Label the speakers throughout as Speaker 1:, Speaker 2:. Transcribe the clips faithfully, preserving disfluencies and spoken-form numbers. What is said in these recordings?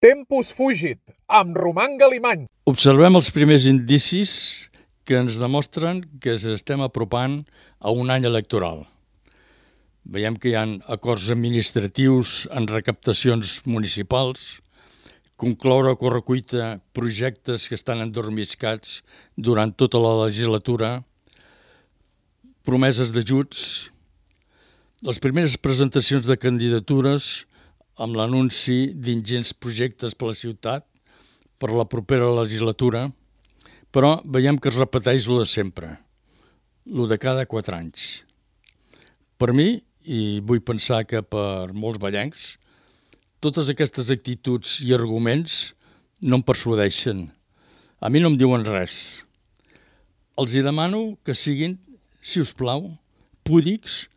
Speaker 1: Tempus fugit, amb Roman Galimany.
Speaker 2: Observem els primers indicis que ens demostren que ens estem apropant a un any electoral. Veiem que hi ha acords administratius en recaptacions municipals, concloure a correcuita projectes que estan endormiscats durant tota la legislatura, promeses d'ajuts, les primeres presentacions de candidatures amb l'anunci d'ingents projectes per la ciutat per la propera legislatura, però veiem que es repeteix lo de sempre, lo de cada quatre anys. Per mi, i vull pensar que per molts vallencs, totes aquestes actituds i arguments no em persuadeixen. A mi no em diuen res. Els hi demano que siguin, si us plau, púdics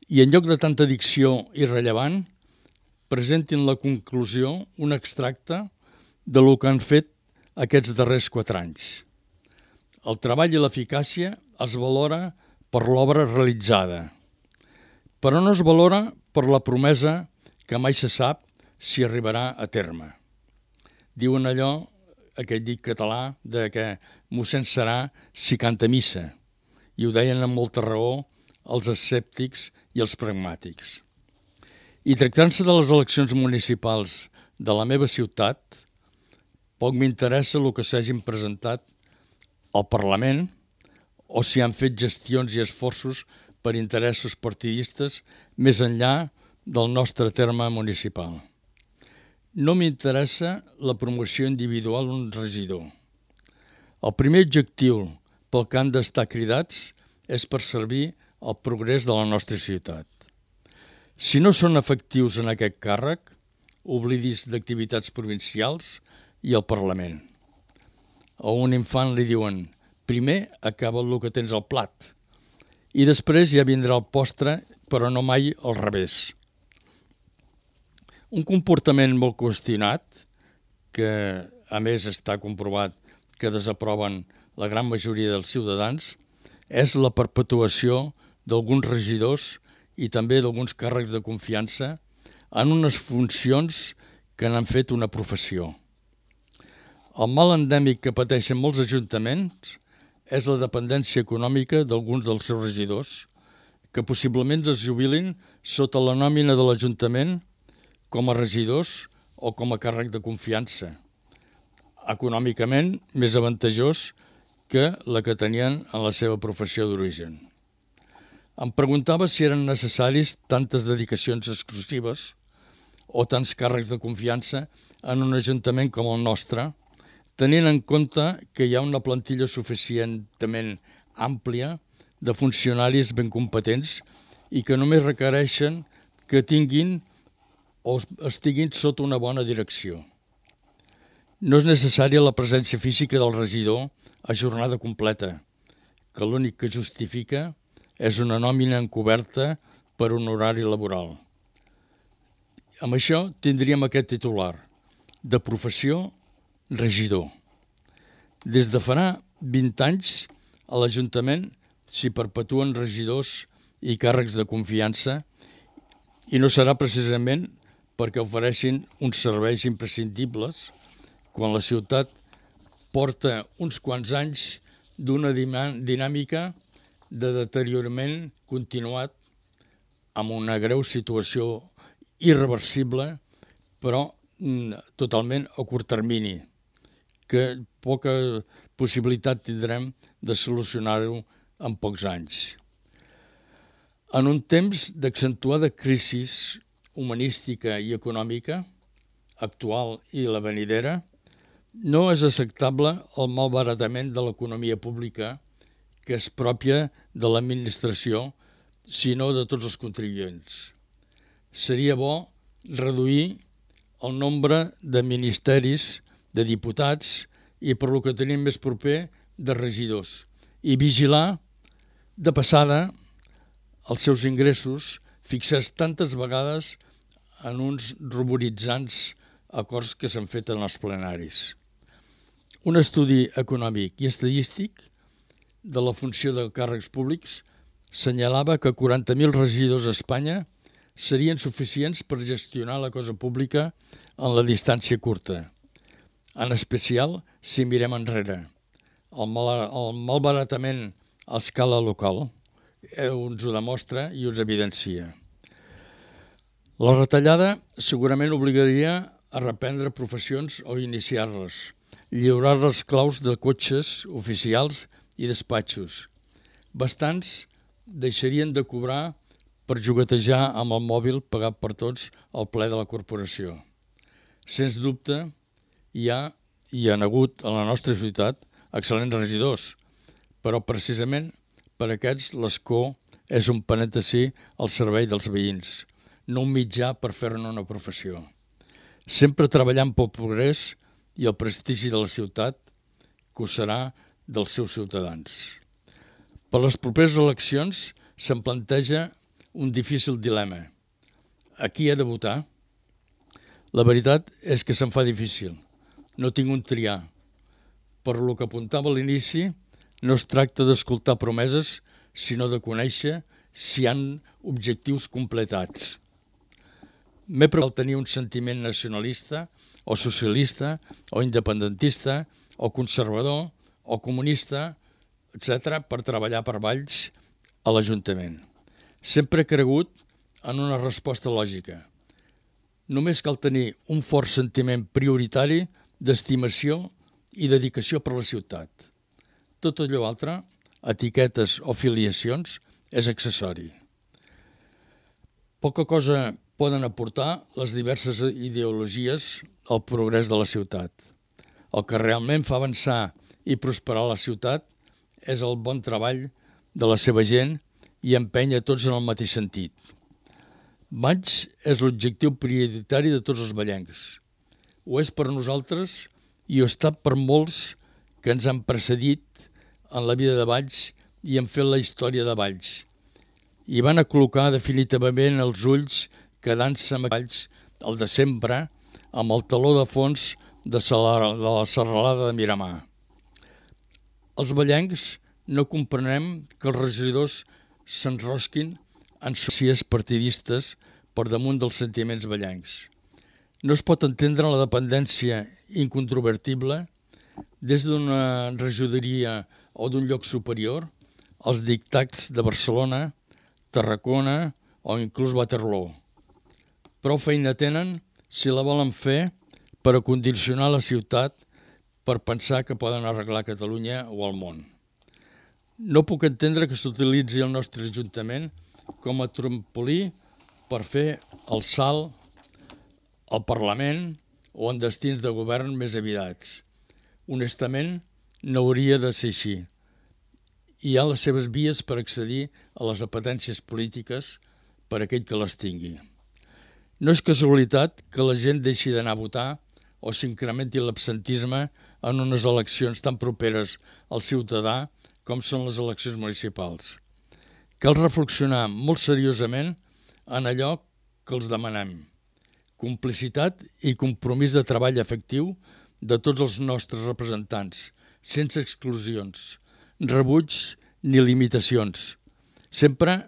Speaker 2: i en lloc de tanta dicció irrellevant, presentin la conclusió, un extracte de lo que han fet aquests darrers quatre anys. El treball i l'eficàcia es valora per l'obra realitzada, però no es valora per la promesa que mai se sap si arribarà a terme. Diuen allò, aquell dit català, de que mossèn serà si canta missa, i ho deien amb molta raó els escèptics i els pragmàtics. I tractant-se de les eleccions municipals de la meva ciutat, poc m'interessa el que s'hagin presentat al Parlament o si han fet gestions i esforços per interessos partidistes més enllà del nostre terme municipal. No m'interessa la promoció individual d'un regidor. El primer objectiu pel que han d'estar cridats és per servir al progrés de la nostra ciutat. Si no són efectius en aquest càrrec, oblidis d'activitats provincials i el Parlament. A un infant li diuen, primer acaba el que tens al plat i després ja vindrà el postre, però no mai al revés. Un comportament molt qüestionat, que a més està comprovat que desaproven la gran majoria dels ciutadans, és la perpetuació d'alguns regidors i també d'alguns càrrecs de confiança en unes funcions que n'han fet una professió. El mal endèmic que pateixen molts ajuntaments és la dependència econòmica d'alguns dels seus regidors, que possiblement es jubilin sota la nòmina de l'Ajuntament com a regidors o com a càrrec de confiança, econòmicament més avantajós que la que tenien en la seva professió d'origen. Em preguntava si eren necessaris tantes dedicacions exclusives o tants càrrecs de confiança en un ajuntament com el nostre, tenint en compte que hi ha una plantilla suficientment àmplia de funcionaris ben competents i que només requereixen que tinguin o estiguin sota una bona direcció. No és necessària la presència física del regidor a jornada completa, que l'únic que justifica és una nòmina encoberta per un horari laboral. Amb això tindríem aquest titular, de professió, regidor. Des de farà vint anys a l'Ajuntament s'hi perpetuen regidors i càrrecs de confiança i no serà precisament perquè ofereixin uns serveis imprescindibles quan la ciutat porta uns quants anys d'una dinàmica de deteriorament continuat amb una greu situació irreversible, però totalment a curt termini, que poca possibilitat tindrem de solucionar-ho en pocs anys. En un temps d'accentuada crisi humanística i econòmica, actual i la venidera, no és acceptable el malbaratament de l'economia pública que és pròpia de l'administració, sinó de tots els contribuents. Seria bo reduir el nombre de ministeris, de diputats i, per lo que tenim més proper, de regidors, i vigilar de passada els seus ingressos fixats tantes vegades en uns ruboritzants acords que s'han fet en els plenaris. Un estudi econòmic i estadístic de la funció de càrrecs públics senyalava que quaranta mil regidors a Espanya serien suficients per gestionar la cosa pública en la distància curta, en especial si mirem enrere. El, mal, el malbaratament a escala local ens ho demostra i us evidencia. La retallada segurament obligaria a reprendre professions o iniciar-les, lliurar les claus de cotxes oficials i despatxos. Bastants deixarien de cobrar per juguetejar amb el mòbil pagat per tots al ple de la corporació. Sens dubte, hi ha i hi ha hagut a la nostra ciutat excel·lents regidors, però precisament per aquests l'escó és un parèntesi al servei dels veïns, no un mitjà per fer-ne una professió. Sempre treballant pel progrés i el prestigi de la ciutat, que ho serà dels seus ciutadans. Per les properes eleccions se'n planteja un difícil dilema. A qui he de votar? La veritat és que se'n fa difícil. No tinc un triar. Per lo que apuntava a l'inici, no es tracta d'escoltar promeses, sinó de conèixer si hi ha objectius completats. M'he preparat tenir un sentiment nacionalista, o socialista, o independentista, o conservador, o comunista, etcètera, per treballar per Valls a l'Ajuntament. Sempre he cregut en una resposta lògica. Només cal tenir un fort sentiment prioritari d'estimació i dedicació per la ciutat. Tot allò altre, etiquetes o filiacions, és accessori. Poca cosa poden aportar les diverses ideologies al progrés de la ciutat. El que realment fa avançar i prosperar la ciutat és el bon treball de la seva gent i empènyer tots en el mateix sentit. Valls és l'objectiu prioritari de tots els vallencs. Ho és per nosaltres i ho ha estat per molts que ens han precedit en la vida de Valls i han fet la història de Valls. I van a col·locar definitivament els ulls quedant-se amb Valls el de sempre amb el taló de fons de la serralada de Miramar. Els vallencs no comprenem que els regidors s'enrosquin en socies partidistes per damunt dels sentiments vallencs. No es pot entendre la dependència incontrovertible des d'una regidoria o d'un lloc superior als dictats de Barcelona, Tarragona o inclús Waterloo. Prou feina tenen si la volen fer per a condicionar la ciutat per pensar que poden arreglar Catalunya o el món. No puc entendre que s'utilitzi el nostre Ajuntament com a trampolí per fer el salt al Parlament o en destins de govern més evidents. Honestament, no hauria de ser així. Hi ha les seves vies per accedir a les apetències polítiques per a aquell que les tingui. No és casualitat que la gent deixi d'anar a votar o s'incrementi l'absentisme en unes eleccions tan properes al ciutadà com són les eleccions municipals. Cal reflexionar molt seriosament en allò que els demanem. Complicitat i compromís de treball efectiu de tots els nostres representants, sense exclusions, rebuig ni limitacions, sempre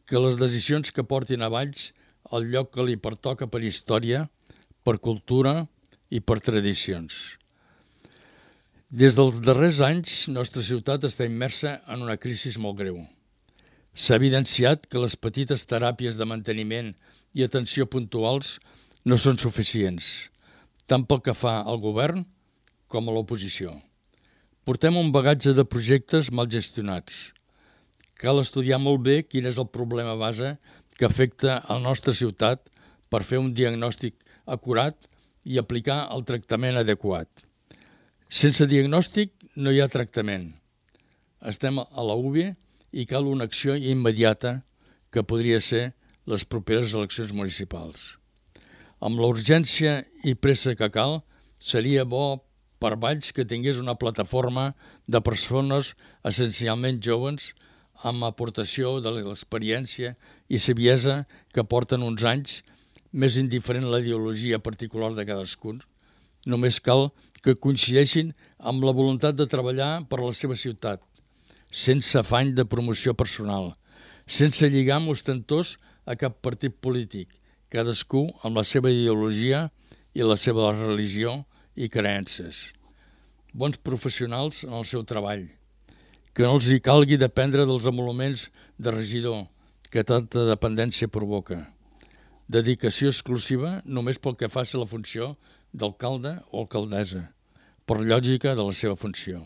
Speaker 2: que les decisions que portin a Valls al lloc que li pertoca per història, per cultura i per tradicions. Des dels darrers anys, nostra ciutat està immersa en una crisi molt greu. S'ha evidenciat que les petites teràpies de manteniment i atenció puntuals no són suficients, tant pel que fa al govern com a l'oposició. Portem un bagatge de projectes mal gestionats. Cal estudiar molt bé quin és el problema base que afecta a la nostra ciutat per fer un diagnòstic acurat i aplicar el tractament adequat. Sense diagnòstic no hi ha tractament. Estem a la U B I i cal una acció immediata que podria ser les properes eleccions municipals. Amb la urgència i pressa que cal, seria bo per Valls que tingués una plataforma de persones essencialment joves amb aportació de l'experiència i saviesa que porten uns anys, més indiferent la ideologia particular de cadascun. Només cal que coincideixin amb la voluntat de treballar per la seva ciutat, sense afany de promoció personal, sense lligam ostentós a cap partit polític, cadascú amb la seva ideologia i la seva religió i creences. Bons professionals en el seu treball, que no els hi calgui dependre dels emoluments de regidor que tanta dependència provoca. Dedicació exclusiva només pel que faci la funció d'alcalde o alcaldessa, per lògica de la seva funció.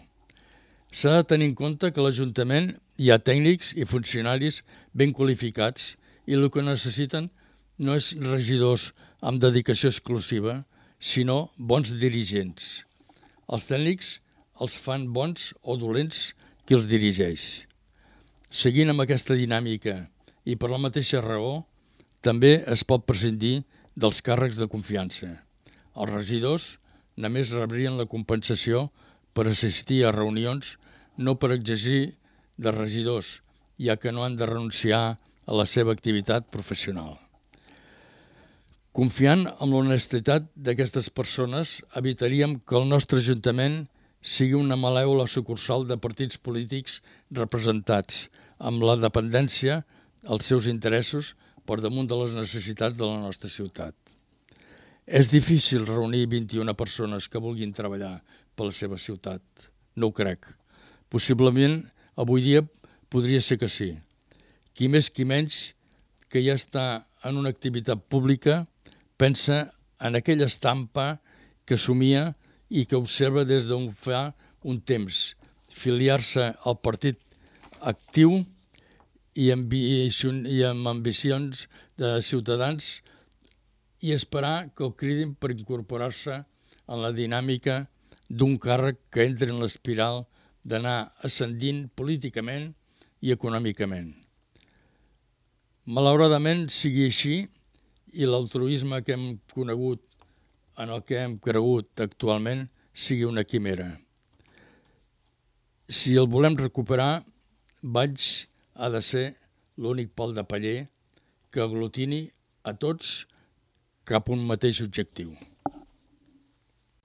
Speaker 2: S'ha de tenir en compte que a l'Ajuntament hi ha tècnics i funcionaris ben qualificats i el que necessiten no és regidors amb dedicació exclusiva, sinó bons dirigents. Els tècnics els fan bons o dolents qui els dirigeix. Seguint amb aquesta dinàmica i per la mateixa raó, també es pot prescindir dels càrrecs de confiança. Els regidors només rebrien la compensació per assistir a reunions, no per exigir de regidors, ja que no han de renunciar a la seva activitat professional. Confiant en l'honestitat d'aquestes persones, evitaríem que el nostre Ajuntament sigui una malèvola sucursal de partits polítics representats, amb la dependència als seus interessos per damunt de les necessitats de la nostra ciutat. És difícil reunir vint-i-una persones que vulguin treballar per la seva ciutat. No ho crec. Possiblement, avui dia podria ser que sí. Qui més qui menys que ja està en una activitat pública pensa en aquella estampa que somia i que observa des d'on fa un temps, filiar-se al partit actiu i amb, i amb ambicions de ciutadans i esperar que el cridin per incorporar-se en la dinàmica d'un càrrec que entra en l'espiral d'anar ascendint políticament i econòmicament. Malauradament sigui així i l'altruisme que hem conegut, en el que hem cregut actualment, sigui una quimera. Si el volem recuperar, Valls ha de ser l'únic pal de paller que aglutini a tots cap a un mateix objectiu.